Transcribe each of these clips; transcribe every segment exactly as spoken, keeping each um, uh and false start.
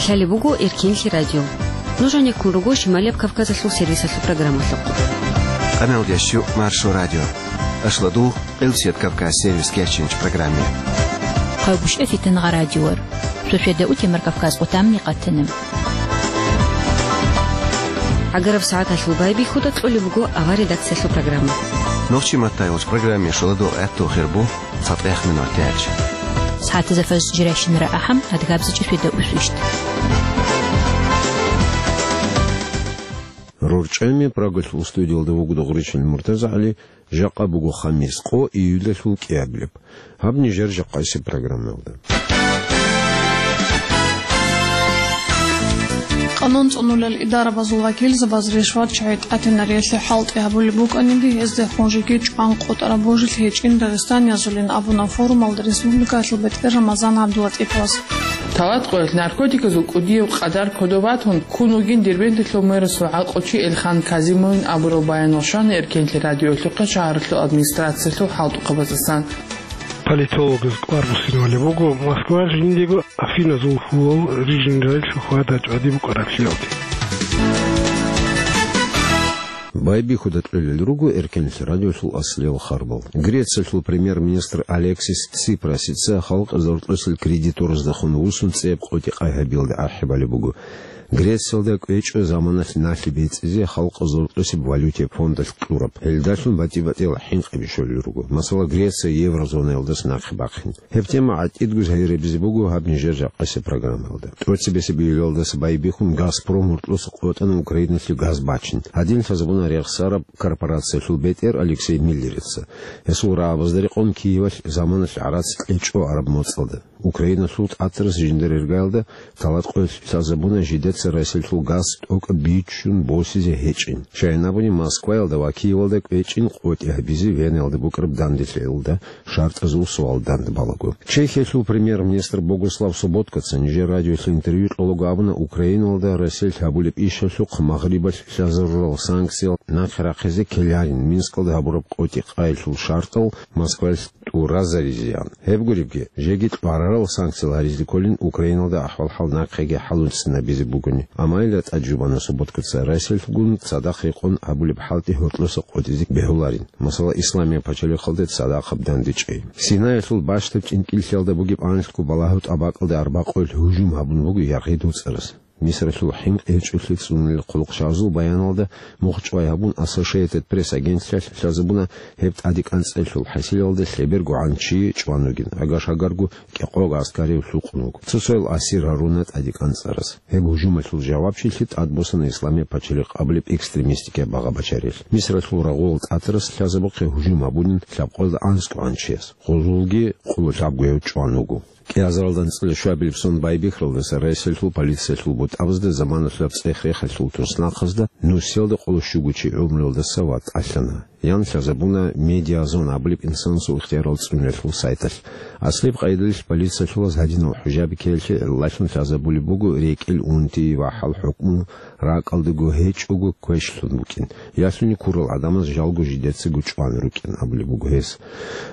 Лъалеб буго Эркенлъи радио. Нуж гьанеккун руго Шималияб Кавказалъул сервисалъул программалъухъ. Къамел ящу Маршо радио. Ашладу Къилсият Кавказ сервис керченч программе. Къавгушев Итангъа радиор. Шошеда утемар Кавказ къутамни къатана. Агараб сагӀаталъул байбихьуда кьолеб буго авар редакциялъул программа. Нохчи матайулч программе шоладу гӀатту хирбу. ЦатӀех минут тяч. СагӀатазда фажр жирайщинара ахӀам, адгабзичӀи феда усвищт. РорчӀами Прагалъул студиялда вуго Догъричил МуртазагӀали, жакъа буго хамис, къо июлалъул кӀиабилеб. Гьаб нижер жакъасеб программаялда. Къанун цӀунулел идарабазул вакилзабаз ришват чагӀи тӀатинариялъе хӀалтӀи гьабулеб букӀаниги, гьезда хунжиги чӀван къотӀараб божилъи гьечӀин Дагъистаниязулин абуна форумалда республикаялъул бетӀер Рамазан ГӀабдулатӀиповас. Талат къоялъ наркотиказул кӀудияб къадар кодов батун, ккун вугин Дербенталъул мэрасул гӀакълучи Элхан Казимовин абураб баянал щвана Эркенлъи радиоялъухъе шагьаралъул администрациялъул хӀалтӀухъабаздасан. Политологаз кӀвар буссинавали буго Москва жиндего Афиназул хьулал рижинрайилъул хьвада-чӀвади букӀараблъиялде. Байбихьуда кьолел руго Эркенлъи радиолъул аслиял харбал. Грециялъул премьер-министр Алексис Ципрасица халкъ зортӀосел кредитораздехун вуссун цӀеб къотӀи-къай гьабиялде ахӀи балеб буго. Грециялда кӀвечӀо заманалъ налъи бецӀизе халкъ зортӀосеб валютияб фондалъ кьураб. Гьелдалъун батӀи-батӀиял хӀинкъи бищулел руго. Масала, Греция еврозонаялдаса нахъе бахъин. Гьеб тема гӀатӀидго гьайрабизе буго гьаб нижер жакъасеб программаялда. ТӀоцебесеб июлалдаса байбихьун Газпром гьоркьоса къотӀана Украиналъе газ бачин. Гьадин лъазабуна рехсараб корпорациялъул бетӀер Алексей Миллерица. Гьесул рагӀабазда рекъон Киевалъ заманалъ гӀарац кьечӀо араб моцӀалда. Украиналъул тӀатарас жиндир иргаялда талат къоялъ лъазабуна жидеца Россиялъул газ тӀокӀаб бичун босизе гьечӀин. Щайин абуни, Москваялда ва Киевалда кӀвечӀин къотӀи гьабизе Венаялда букӀараб данделъиялда шартӀазул суал данде балаго. Чехиялъул премьер-министр Богослав Соботкаца нижер радиоялъе интервью кьолаго абуна, Украиналда Россиялъ гьабулеб ишалъухъ Магърибалъ лъазарурал санкциял нахъе рахъизе ккеларин Минскалда гьабураб къотӀи-къайилъул шартӀал Москваялъ тӀуразаризеян. Гьеб гуребги, жеги кьварарал санкциял гьаризе кколин Украиналда ахӀвал-хӀал нахъеги хӀалуцинабизе бугони. Амма гьелда тӀаде жубана Соботкаца Россиялъгун цадахъ рекъон гьабулеб хӀалтӀи гьоркьоса къотӀизе бегьуларин. Масала, Исламияб пачалихъалде цадахъаб дандечӀей. Синаялъул бащдаб чӀинкӀиллъиялда бугеб анлъго балагьу тӀабакӀалде арбакъоялъ гьужум гьабун буго Яргъи дуцӀарас. Мисралъул хӀинкъи гьечӀолъи цӀунулел хъулухъ шагьазул баяналда мухъ чӀвай гьабун, Ассошиэйтед Пресс агентлъиялъ лъазабуна гьеб тӀаде кӀанцӀелъул хӀасилалда лъеберго гӀанчи чӀван вугин, агаш-агарго кӀикъого гӀаскарив лъукъун вуго. Цо-цоял асир гьаруна тӀаде кӀанцӀарас. Гьеб гьужумалъул жавабчилъи тӀадбосана Исламияб пачалихъ абулеб экстремистикаяб багъа-бачарилъ. Мисралъул рагъулал тӀатарас лъазабухъе гьужум гьабунин лъабкъоялда анцӀго гӀанчияс. Гъозулги къулу лъабгояв чӀван вуго. КӀиазаралда анцӀила щуабилеб сон байбихьаралдаса Россиялъул полициялъул бутӀабазда заманалъул цӀех-рехалъул туснахъазда нусиялда къоло щуго чи гӀумруялдаса ватӀалъана. Ян лъазабуна Медиазон абулеб инсанасул ихтиярал цӀунулелъул сайталъ. Аслияб къайдалъ полициялъулаз гьадинал хӀужаби ккеялъе гӀиллалъун лъазабулеб буго рекӀел унти ва хӀал-хӀукму ракӀалдаго гьечӀого квешлъун букӀин. Ялъуни ккурал гӀадамаз жалго жидецаго чӀван рукӀин абулеб буго гьес.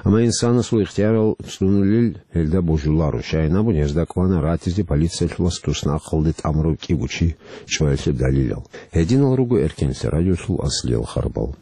Амма инсанасул ихтиярал цӀунулел гьелда божуларо, щайин абуни гьезда кӀвана ратизе полициялъулас туснахъалде тӀамурав кӀиго чи чӀваялъе далилал. Гьединал руго Эркенлъи радиолъул аслиял харбал.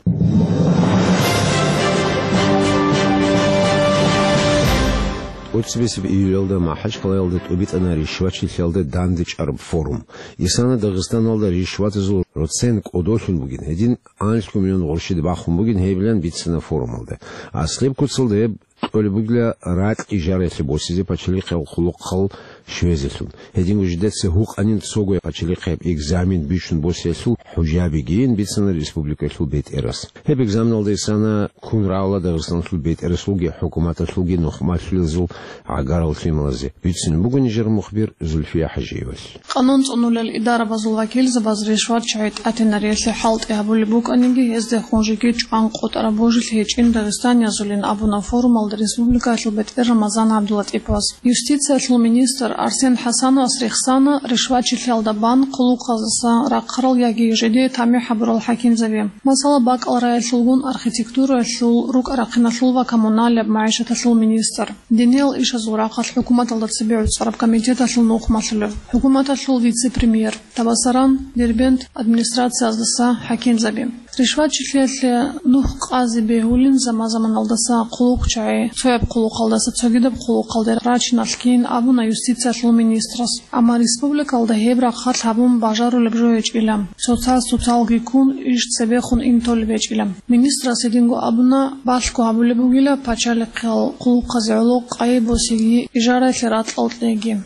ТӀоцебесеб июлалда МахӀачкъалаялда тӀубитӀана ришвачилъиялда дандечӀараб форум. Исана Дагъистаналда ришватазул процент кӀодолъун бугин, гьедин анлъго миллион гъурщида бахун бугин гьебилан бицана форумалда. Аслияб куцалда гьеб кьолеб бугила ракь ижаралъе босизе пачалихъал хъулухъал щвезелъун. Гьединго жидеца гьукъанин цого пачалихъияб экзамен бичун босиялъул хӀужабигин бицана республикалъул бетӀерас. Гьеб экзаменалда исана ккун рагӀула Дагъистаналъул бетӀерасулги хӀукуматалъулги нухмалъулазул гӀагарал лъималазе. Бицунеб буго нижер мухбир Зульфия ХӀажиевалъ. Къанун цӀунулел идарабазул вакилзабаз ришват чагӀи тӀатинариялъе хӀалтӀи гьабулеб букӀаниги, гьезда хунжиги чӀван къотӀараб божилъи гьечӀин Дагъистаниязулин абуна форумалда республикаялъул бетӀер Рамазан ГӀабдулатӀиповас. Юстициялъул министр Арсен ХӀасановас рехсана ришвачилъиялда бан хъулухъаздаса рахъарал яги жидее тамихӀ гьабурал хӀакимзаби. Масала, бакӀал раялъулгун архитектураялъул, рукӀа-рахъиналъул ва коммуналияб магӀишаталъул министр, диниял ишазул рахъалъ хӀукуматалда цебе гӀуцӀараб комитеталъул нухмалъулев, хӀукуматалъул вице-премьер, Табасаран, Дербент администрациялдаса хӀакимзаби. Ришвачилъиялъе нух къазе бегьулин заман-заманалдаса хъулухъчагӀи, цояб хъулухъалдаса цогидаб хъулухъалде рачиналъ кин абуна юстициялъул министрас. Амма республикалда гьеб рахъалъ гьабун бажарулеб жо гьечӀила, цоцаз цоцалги ккун иш цебехун интолеб гьечӀила. Министрас гьединго абуна, балъго гьабулеб бугила пачалихъал хъулухъазе гӀоло къайи босиги ижараялъе ракьал кьеги.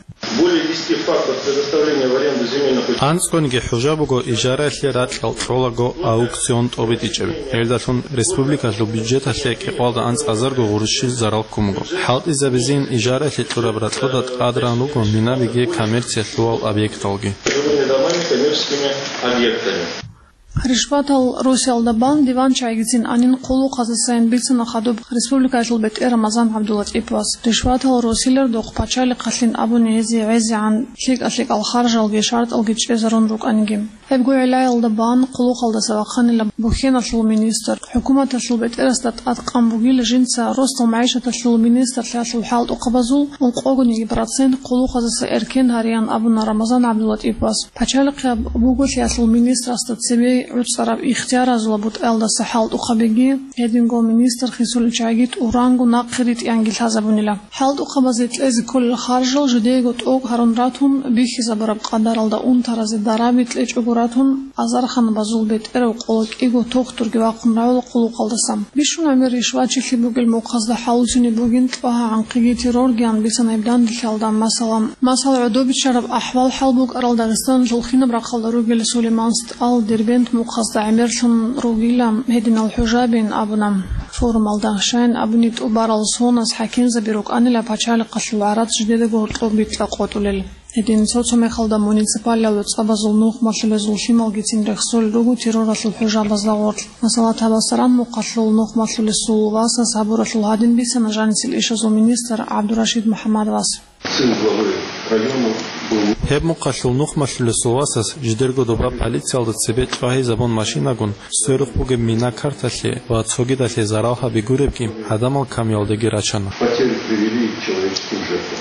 Более десяти фактов предоставления в аренду земельных участков. АнцӀгониги хӀужа буго ижараялъе ракьал кьолаго аукцион тӀобитӀичӀеб. Гьелдалъун республикалъул бюджеталъе кӀикъоялда анцӀазарго гъурущил зарал ккун буго. ХӀалтӀизабизейин ижараялъе кьураб ракьалда тӀадран руго минабиги коммерциялъувал объекталги. Жилыми домами, коммерческими объектами. Ришватал росиялда бан диванчагӀигицин анин хъулухъаздасайин бицана хадуб республикаялъул бетӀер Рамазан ГӀабдулатӀиповас. Ришватал росилардухъ пачалихъалъин абуни гьезие гӀезегӀан лъикӀа-лъикӀал харжалги шартӀалги чӀезарун рукӀаниги. Гьебго гӀиллаялда бан хъулухъалдаса вахъанила бухьеналъул министр. ХӀукуматалъул бетӀерасда тӀадкъан бугила жинца росдал магӀишаталъул министрлъиялъул хӀалтӀухъабазул ункъогониги процент хъулухъаздаса эркен гьариян абуна Рамазан ГӀабдулатӀиповас. Пачалихъияб буголъиялъул министрасда цебе гӀуцӀараб ихтияразул бутӀаялдаса хӀалтӀухъабиги, гьединго министр хисулел чагӀиги тӀуранго нахъе ритӀиянги лъазабунила. ХӀалтӀухъабазе кьезе кколел харжал жидеего тӀокӀ гьарун ратун, бихьизабураб къадаралда унтаразе дараби кьечӀого ратун, азарханабазул бетӀерав къола кӀиго тухтурги вахъун равила хъулухъалдаса. Бищун гӀемер ришвачилъи бугел мухъазда хӀалуцинеб бугин тӀогьа-гӀанхъиги терроргиян бицана гьеб данделъиялда, масала. Масала, гӀодобичараб ахӀвал-хӀал букӀарал Дагъистаналъул хинаб рахъалда ругел Сулейман СтӀал Дербент мухъазда гӀемерлъун ругила гьединал хӀужабин абуна форумалда. Щайин абуни, тӀубарал соназ хӀакимзаби рукӀанила пачалихъалъул гӀарац жидедаго гьоркьоб битӀа къотӀулел. Гьедин цо-цо мехалда муниципалияб цӀабазул нухмалъулезул лъималгицин рехсолел руго терроралъул хӀужабазда гъорлъ. Масала, Табасаран мухъалъул нухмалъулесул васас гьабуралъул гьадин бицана жанисел ишазул министр ГӀабдурашид МухӀаммадовас. Сын главы района был. Гьеб мухъалъул нухмалъулесул васас жидерго доба полициялда цебе тӀвагьизабун машинагун, сверухъ бугеб мина карталъе ва цогидалъе зарал гьаби гуребги, гӀадамал камиялдеги рачана. Потери привели к человеческим жертвам.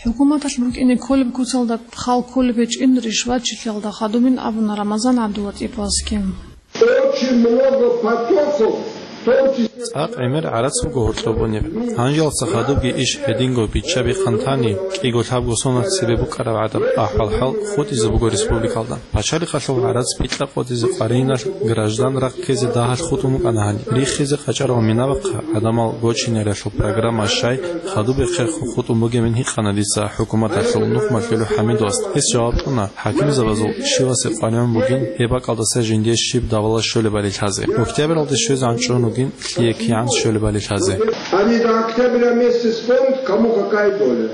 ХӀукуматалъ букӀине кколеб куцалда хал кколеб гьечӀин ришватчилъиялда хадубин абуна Рамазан ГӀабдулатӀиповасги. Очень много потоков, в том числе. ЦӀакъ гӀемер гӀарац буго гьоркьоб бунеб. Гьанжалца хадубги иш гьединго биччаби хъантани, кӀиго лъабго сонат цебе букӀараб гӀадаб ахӀвал-хӀал хутӀизе буго республикалда. Пачалихъалъул гӀарац битӀа къотӀизе къваригьиналъ граждан рахъ ккезе дагьалъ хутӀун букӀана гьаниб. Риххизе къачӀарал минабахъа гӀадамал гочинаралъул программа щай хадубехъе хутӀун бугебин гьикъана дица хӀукуматалъул нухмалъулев ХӀамидовас. Гьес жаваб кьуна, хӀакимзабазул щивасе къваригӀун бугин гьеб бакӀалдаса жиндие щиб давала щолебали лъазе. Октябралде щвезегӀан чӀун вугин лъие кигӀан щолебали лъазе. Они до октября месяца вспомнят, кому какая доля.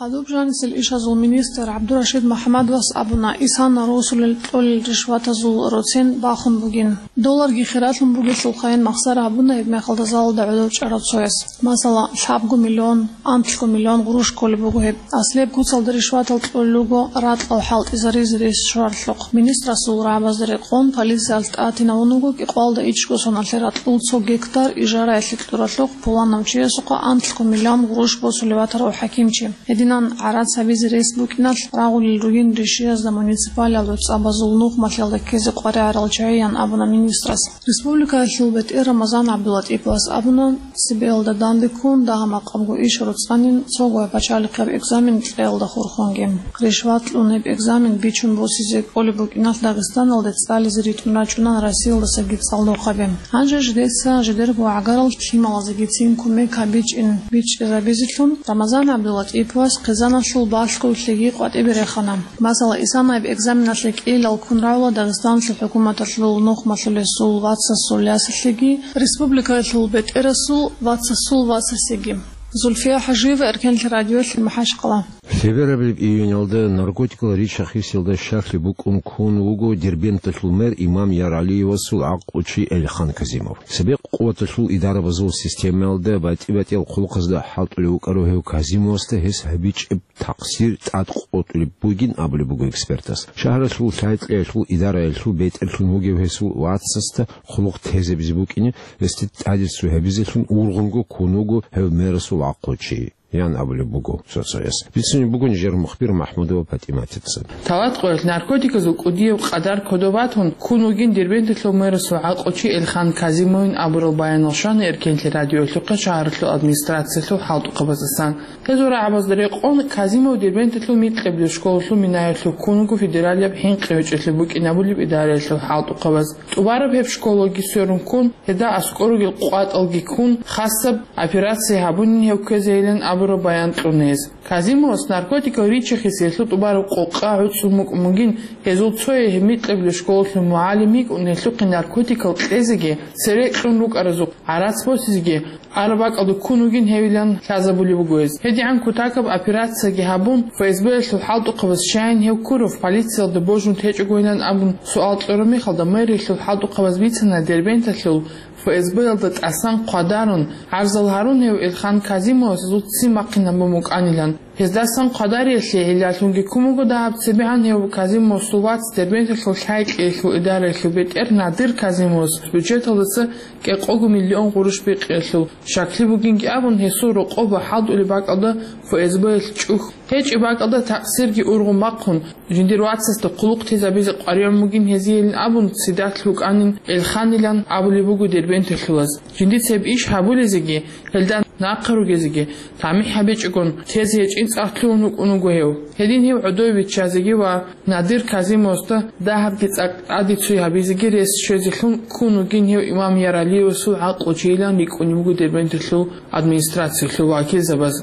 Хадуб жанисел ишазул министр ГӀабдурашид МухӀаммадовас абуна, исана росулел кьолел ришватазул роцен бахун бугин. Долларги хиралъун бугелъулхъайин махсара гьабуна гьеб мехалда залалда гӀодов чӀарав цояс. Масала, лъабго миллион, анлъго миллион гъурущ кколеб буго гьеб. Аслияб куцалда ришватал кьолел руго ракьал хӀалтӀизаризе рес щваралъухъ. Министрасул рагӀабазда рекъон полициялъ тӀатинавун вуго кӀикъоялда ичӀго соналъе ракьул цо гектар ижараялъе кьуралъухъ пуланав чиясухъа анлъго миллион гъурущ босулев ватарав хӀакимчи. Гьединан гӀарац гьабизе рес букӀиналъ рагъулел ругин ришиязда муниципалиялда цӀабазул нухмалъиялда ккезе къваригӀарал чагӀиян абуна министрас. Республикаялъул бетӀер Рамазан ГӀабдулатӀиповас абуна, цебеялда данде ккун дагьа-макъабго иш роцӀанин цо гвай пачалихъаб экзамен кьеялда хурхунги. Ришват кьун гьеб экзамен бичун босизе кӀолеб букӀиналъ Дагъистаналде цӀализе ритӀун рачӀуна Россиялдасаги цӀалдохъаби. Гьанже жидеца жидерго гӀагарал лъималазегицин кумек гьабичӀин бичӀчӀизабизелъун Рамазан ГӀабдулатӀиповас хъизаналъул балъголъиги къватӀибе рехана. Масала, исанаяб экзаменалъе кӀиялал ккун равла Дагъистаналъул хӀукуматалъул нухмалъулесул вацасул ясалъеги, республикаялъул бетӀерасул вацасул васасеги. Зульфия ХӀажиева, Эркенлъи радиолъи, МахӀачхъала. Теберабилеб июньалда наркотикал рича-хисиялда щаклъи букӀун ккун вуго Дербенталъул мэр Имам Яралиевасул гӀакълучи Эльхан Казимов. Цебекъ къуваталъул идарабазул системаялда батӀи-батӀиял хъулухъазда хӀалтӀулев вукӀарав гьев Казимовасда гьес гьабичӀеб такъсир тӀадкъотӀулеб бугин абулеб буго экспертас. Шагьаралъул лъай-кьеялъул идараялъул бетӀерлъун вугев гьесул вацасда хъулухъ тезабизе букӀине, гьесде тӀадицу гьабизелъун ургъунго ккун вуго гьев мэрасул гӀакълучи, ян абулеб буго цо-цояс. Бицунеб буго нижер мухбир МахӀмудова ПатӀиматица. Талат къоялъ наркотиказул кӀудияб къадар кодоб батун ккун вугин Дербенталъул мэрасул гӀакълучи Эльхан Казимовин абурал баянал, щвана Эркенлъи радиоялъухъе шагьаралъул администрациялъул хӀалтӀухъабаздасан. Гьезул рагӀабазда рекъон, Казимов Дербенталъул микьабилеб школалъул минаялъув ккун вуго федералияб хӀинкъи гьечӀолъи букӀинабулеб идараялъул хӀалтӀухъабаз. ТӀубараб гьеб школаги сверун ккун, гьелда аскӀор ругел къватӀалги ккун, хасаб операция гьабунин гьев ккезейилан абураб баян кьуна гьез. Казимовас наркотикал рича-хисиялъул тӀубараб къокъа гӀуцӀун букӀун бугин, гьезул цое гьеб микьабилеб школалъул мугӀалим йикӀун, гьелъухъе наркотикал кьезеги, цере кьун рукӀаразухъ гӀарац босизеги, араб бакӀалда ккун вугин гьевилан лъазабулеб буго гьез. ГьедигӀан кутакаб операцияги гьабун, ФСБ-ялъул хӀалтӀухъабаз щайин гьев ккурав, полициялда божун течӀогойилан абун суал кьураб мехалда, мэриялъул хӀалтӀухъабаз бицана Дербенталъул ФСБ-ялда тӀасан хъвадарун, гӀарзал гьарун гьев Эльхан Казимовас гьезул ццин бахъинабун букӀанилан. Гьездасан хъвадариялъе гӀиллалъунги ккун буго дагьаб цебегӀан гьев Казимовасул вац Дербенталъул лъай-кьеялъул идараялъул бетӀер Надир Казимовас бюджеталдаса кӀикъого миллион гъурущ бикъиялъул щаклъи бугинги абун, гьесул рокъоб ва хӀалтӀулеб бакӀалда ФСБ-ялъ чӀухь гьечӀеб бакӀалда такъсирги ургъун бахъун, жиндир вацасда хъулухъ тезабизе къваригӀун бугин гьезиейилан абун, цидалъ рукӀанин Эльханилан абулеб буго дербенталъулаз. Жиндица гьеб иш гьабулезеги, гьелда нахъа ругезеги тамихӀ гьабичӀогон, тезе гьечӀин цӀакъ лъугьун вукӀун вуго гьев. Гьедин гьев гӀодове виччазеги ва Надир Казимовасда дагьабги цӀакъ тӀаде цой гьабизеги рес щвезелъун ккун вугин гьев Имам Яралиевасул гӀакълучийилан рикӀкӀунеб буго Дербенталъул администрациялъул вакилзабаз.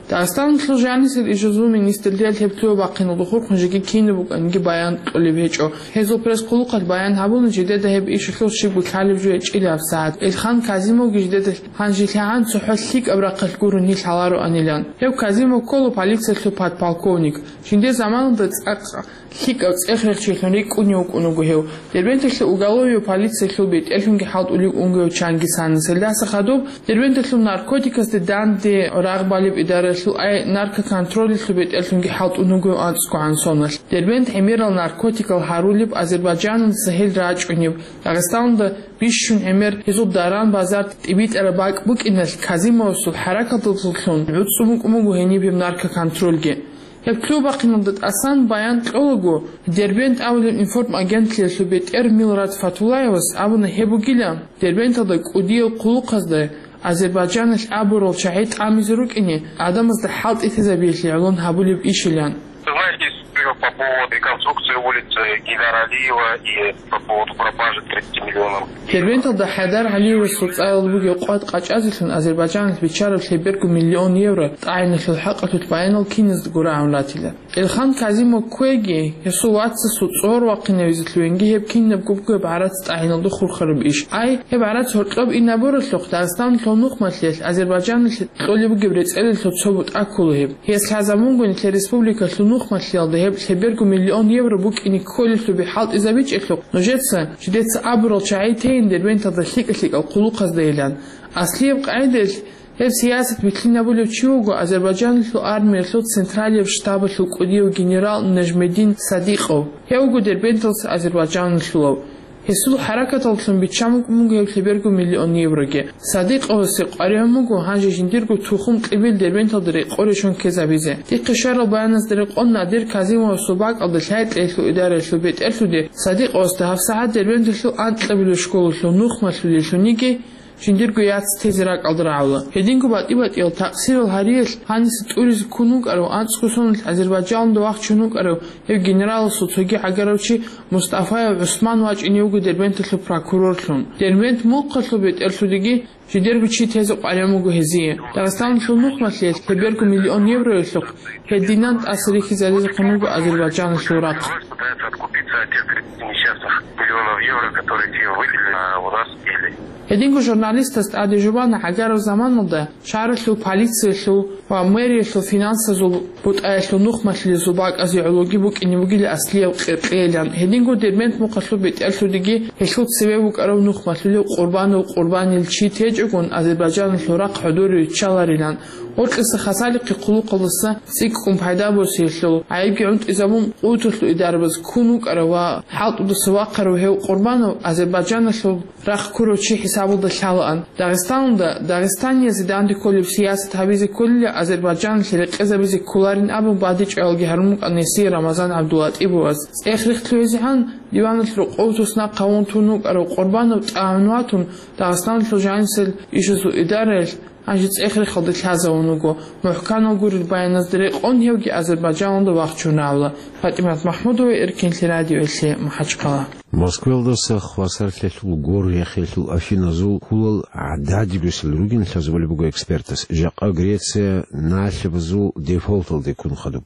Дагъистаналъул жанисел ишазул министрлъиялъ гьеб лъугьа-бахъиналда хурхун жеги кинаб букӀанги баян кьолеб гьечӀо. Гьезул пресс-хъулухъалъ баян гьабуна, жидеда гьеб ишалъул щибго лъалеб жо гьечӀила гьабсагӀат. Эльхан Казимовги жидеда гьанжелъагӀан цохӀо лъикӀаб рахъалъ гурони лъалароанилан. Гьев Казимов ккола полициялъул подполковник. Жиндир заманалда цӀакъ лъикӀав цӀех-рехчилъун рикӀкӀунев вукӀун вуго гьев. Дербенталъул уголовияб полициялъул бетӀерлъунги хӀалтӀулев унго гьев Чангисанас. Гьелдаса хадуб Дербенталъул наркотикасде данде рагъ балеб идаралъул, ай, наркоконтролалъул бетӀерлъунги хӀалтӀун вуго гьев анцӀгогӀан соналъ. Дербент гӀемерал наркотикал гьарулеб Азербайджаналдаса гьел рачӀунеб, Дагъистаналда бищун гӀемер гьезул даран-базар тӀибитӀараб бакӀ букӀиналъ Казимовасул хӀаракаталдалъун гӀуцӀцӀун букӀун буго гьениб гьеб наркоконтролги. Гьеб лъугьа-бахъиналда тӀасан баян кьолаго, Дербент абулеб информагентлъиялъул бетӀер Милрат Фатуллаевас абуна гьеб бугила, Дербенталда кӀудиял хъулухъазда Азербайджаналъ абурал чагӀи тӀамизе рукӀине, гӀадамазда хӀалтӀи тезабиялъе гӀолон гьабулеб ишилан. Знаете, по поводу реконструкции улицы Гейдар Алиева и по поводу пропажи тридцати миллионов. Дербенталда ХӀайдар ГӀалиевасул цӀарал бугеб къват къачӀазелъун Азербайджаналъ биччараб лъеберго миллион евро тӀагӀиналъул хӀакъалъулъ баянал киназдаго рагӀун ратила. Эльхан Казимов кквеги, гьесул вацасул цӀогьор вахъинавизе лъугьинги гьеб кинабго бугеб гӀарац тӀагӀиналда хурхараб иш. Ай, гьеб гӀарац гьоркьоб инабуралъухъ Дагъистаналъул нухмалъиялъ Азербайджаналъе кьолеб бугеб рецӀелалъул цо бутӀа ккола гьеб. Гьес лъазабунгони, нилъер республикалъул нухмалъиялда гьеб лъеберго миллион евро букӀине кколелъул би хӀалтӀизабичӀелъухъ, нужеца жидеца абурал чагӀи тейин Дербенталда лъикӀа-лъикӀал хъулухъаздайилан. Аслияб къагӀидаялъ, гьеб сиясат билълъинабулев чи вуго Азербайджаналъул армиялъул централияб штабалъул кӀудияв генерал Нажмедин Садикъов. Гьев вуго Дербенталдаса азербайджаналъулав. Гьесул хӀаракаталлъун биччан букӀун буго гьеб лъеберго миллион евроги. Садикъовасе къваригӀун буго гьанже жиндирго тухум-кьибил Дербенталда рекъон рещтӀун ккезабизе. Дихъе щварал баяназда рекъон, Надир Казимовасул бакӀалда лъай-кьеялъул идараялъул бетӀерлъуде Садикъовасда гьабсагӀат Дербенталъул анкьабилеб школалъул нухмалъулеллъуниги, жиндирго яц тезе ракӀалда рагӀула. Гьединго батӀи-батӀиял такъсирал гьариялъ гьаниса тӀуризе ккун вукӀарав анцӀго соналъ Азербайджаналда вахчун вукӀарав гьев генераласул цоги гӀагарав чи Мустафаев ГӀусман вачӀине вуго Дербенталъул прокурорлъун. Дербент мухъалъул бетӀерлъудеги жидерго чи тезе къваригӀун буго гьезие. Дагъистаналъул нухмалъиялъ лъеберго миллион евроялъухъ гьединан тӀаса рихьизаризехъун вуго Азербайджаналъул рахъ. Пытается откупиться от тех тридцати несчастных миллионов евро, которые те выделили, а у нас съели. Гьединго журналистаз тӀаде жубана гӀагараб заманалда шагьаралъул полициялъул ва мэриялъул финансазул бутӀаялъул нухмалъулезул бакӀазе гӀологи букӀине бугила аслияб къиркъейилан. Гьединго Дербент мухъалъул бетӀерлъудеги гьелъул цеве букӀараб нухмалъулев Къурбанов Къурбанил чи течӀогун Азербайджаналъул рахъ хӀодоре риччаларилан. Гъоркьиса хасалихъе хъулухъалдаса цӀикӀкӀун пайда босиялъул гӀайибги гӀунтӀизабун, къуваталъул идарабаз ккун вукӀарав ва хӀалтӀудаса вахъарав гьев Къурбанов Азербайджаналъул рахъ ккурав чи хӀисабалда лъалаан. Дагъистаналда дагъистаниязе данде кколеб сиясат гьабизе кколила Азербайджаналъе рекъезабизе кколарин абун бадибчӀваялги гьарун букӀана гьесие Рамазан ГӀабдулатӀибоваз. ЦӀех-рех лъугьизегӀан диваналъ рокъов туснахъ гьавун тун вукӀарав Къурбанов тӀагӀун ватун, Дагъистаналъул жанисел ишазул идараялъ гьанже цӀех-рехалде лъазавун вуго. МухӀканал гурел баяназда рекъон гьевги Азербайджаналда вахчун равла. ПатӀимат МахӀмудова, Эркинлъи радиоялъе, МахӀачхъала. Москваялдаса хвасарлъиялъул гор яхъиялъул афиназул хьулал гӀададиб росел ругин лъазабулеб буго экспертас. Жакъа Греция налъабазул дефолталде ккун хадуб.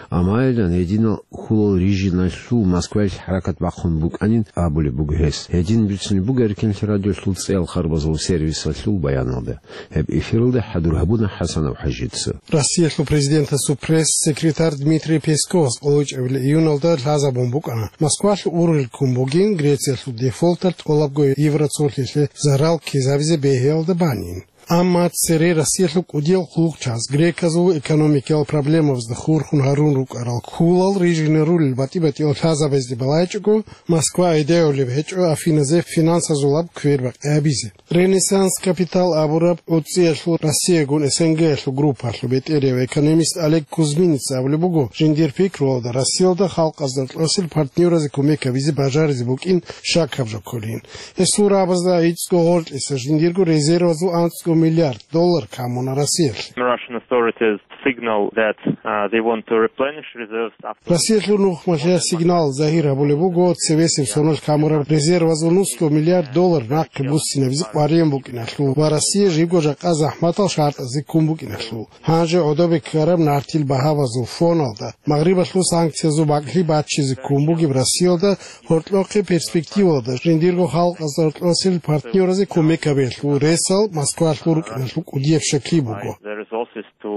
Амма гьединал хьулал рижиналъул Москваялъ хӀаракат бахъун букӀанин абулеб буго гьес. Гьедин бицунеб буго Эркинлъи радиолъул цӀеял харбазул сервисалъул баяналда. Гьеб эфиралда хӀадур гьабуна ХӀасанов ХӀажица. Россиялъул президентасул пресс-секретарь Дмитрий Песковас къоло чӀебила июналда лъазабун букӀана, Москвалъ ургъел ккун бугин Грециялъул дефолталъ тӀолабго евроцолъиялъе зарал ккезабизе бегьиялда банин. Амма цере Россиялъул кӀудиял хъулухъчияс греказул экономикиял проблемабазда хурхун гьарун рукӀарал хьулал рижине рулел батӀи-батӀиял лъазабазде балайчӀого, Москва гӀедегӀулеб гьечӀо Афиназе финансазулаб квербакъи гьабизе. «Ренессанс Капитал» абураб гӀуцӀиялъул Россиягун СНГ-ялъул группалъул бетӀерияв экономист Олег Кузьминец абулеб буго, жиндир пикруялда Россиялда халкъазда кьосел партнёразе кумек гьабизе бажаризе букӀин щакаб жо кколин. Гьесул рагӀабазда гӀицӀго гъоркьиса жиндирго резервазул анцӀго миллиард доллар камуна Россиялъе. Russian authorities signal that, uh, they want to replenish reserves after Россиялъул нухмалъе сигнал загьир гьабулеб буго цевесеб соналъ камураб резервазул нусго миллиард доллар нахъе буссинабизе къваригӀун букӀиналъул ва Россия жибго жакъа захӀматал шартӀазе ккун букӀиналъул. Гьанже гӀодобе ккараб нартил багьабазул фоналда, Магърибалъул санкциязул бакӀлъи баччизе ккун бугеб Россиялда гьоркьохъе перспективалда жиндирго халкъазда кьосел партнёразе кумек гьабиялъул ресал Москвалъул рукӀиналъул кӀудияб щаклъи буго. There is also to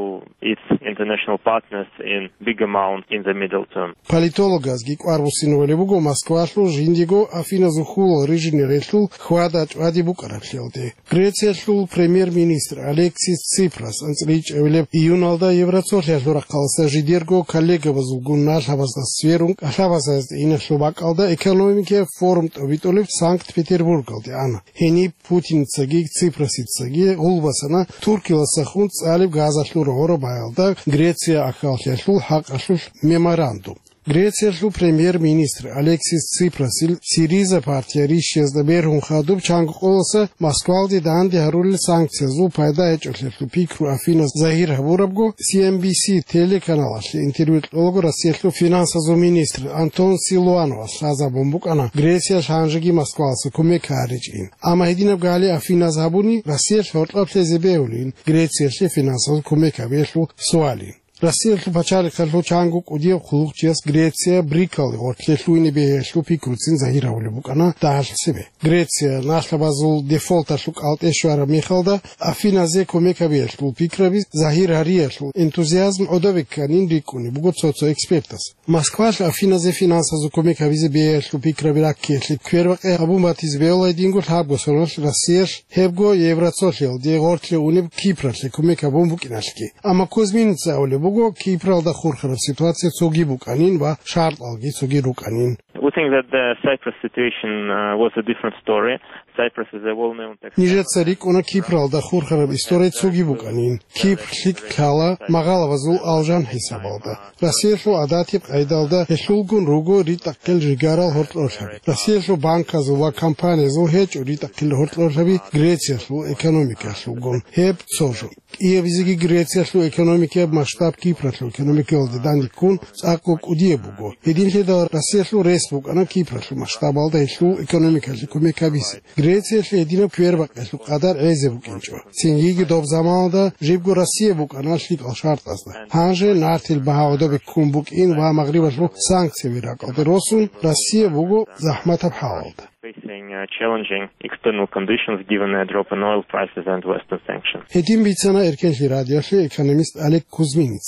its international partners in big amount in the middle term. Политологазги кӀвар буссинабулеб буго Москвалъул жиндиго Афиназул хьулал рижине релълъул хьвада-чӀвади букӀараблъиялде. Грециялъул премьер-министр Алексис Ципрас анцӀила ичӀабилеб июналда Евроцолъиялъул рахъалъа жидерго коллегабазулгун налъабазда сверун кӀалъабазазда иналъул бакӀалда экономикияб форум тӀобитӀулеб Санкт-Петербургалде ана. Гьениб Путинцаги Ципрасицаги гъулбасана Туркиялдасахун цӀалеб газалъул рогъоро баялда Греция ахьаллъиялъул хӀакъалъулъ меморандум. Грециялъул премьер-министр Алексис Ципрасил Сириза партия рищиязда бергьун хадуб чанго къоласа Москвалде данде гьарулел санкциязул пайда гьечӀолъиялъул пикру Афинас загьир гьабурабго, Си Эн Би Си телеканалалъе интервью кьолаго Россиялъул финансазул министр Антон Силуановас лъазабун букӀана Грециялъ гьанжеги Москваласа кумек гьаричӀин. Амма гьединаб гали Афинас гьабуни Россиялъ гьоркьоб лъезе бегьулин Грециялъе финансазул кумек гьабиялъул суалин. Россиялъул пачалихъалъул чанго кӀудияв хъулухъчияс Греция БРИКалде гъоркье лъугьине бегьиялъул пикруцин загьир гьавулеб букӀана дагьалъ цебе. Греция налъабазул дефолталъул кӀалтӀе щвараб мехалда, Афиназе кумек гьабиялъул пикраби загьир гьариялъул энтузиазм гӀодобе кканин рикӀкӀунеб буго цо-цо экспертас. Москвалъ Афиназе финансазул кумек гьабизе бегьиялъул пикраби раккиялъе квербакъи гьабун батизе бегьула гьединго лъабго соналъ Россиялъ, гьебго Евроцолъиялде гъоркье унеб Кипралъе кумек гьабун букӀиналъги. Амма Кузьминца абулеб буго, Кипралда хурхараб ситуация цоги букӀанин ва шартӀалги цоги рукӀанин. We think that the Cyprus situation, uh, was a different story. Cyprus is a well-known tax Нижеца рикӀкӀуна Кипралда хурхараб история цоги букӀанин. Кипр лъикӀ лъала, магъалабазул алжан хӀисабалда. Россиялъул гӀадатиб къайдалда гьелъулгун руго ритӀахъел жигарал гьоркьорлъаби. Россиялъул банказул ва компаниязул гьечӀо ритӀахъел гьоркьорлъаби Грециялъул экономикаялъулгун. Гьеб цо жо. КӀиабизеги Грециялъул экономикаяб масштаб Кипралъул экономикаялде данде ккун цӀакъго кӀудияб буго. Гьединлъидал Россиялъул рес букӀана Кипралъул масштабалда гьелъул экономикалъе кумек гьабизе. Грециялъе гьединаб квербакъиялъул къадар гӀезе букӀинчӀо. Цинги доб заманалда жибго Россия букӀана лъикӀал шартӀазда. Гьанже нартил багьа гӀодобе ккун букӀин ва Магърибалъул санкцияби ракӀалде росун, Россия буго захӀматаб хӀалалда. facing uh, challenging external conditions given uh, drop in oil prices and Western sanctions. Гьедин бицана Эркенлъи радиолъе экономист Олег Кузьминец.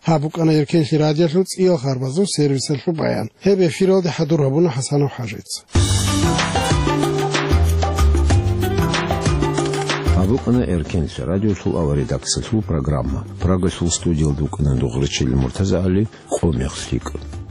Гьаб букӀана Эркенлъи радиолъул цӀиял харбазул сервисалъул баян. Гьеб эфиралде хӀадур гьабуна ХӀасанов ХӀажица. Гьаб букӀана Эркенлъи радиолъул авария редакциялъул программа. Прагалъул студиялда вукӀана Дугърачил МуртазагӀали, къо мехлъи кӀун.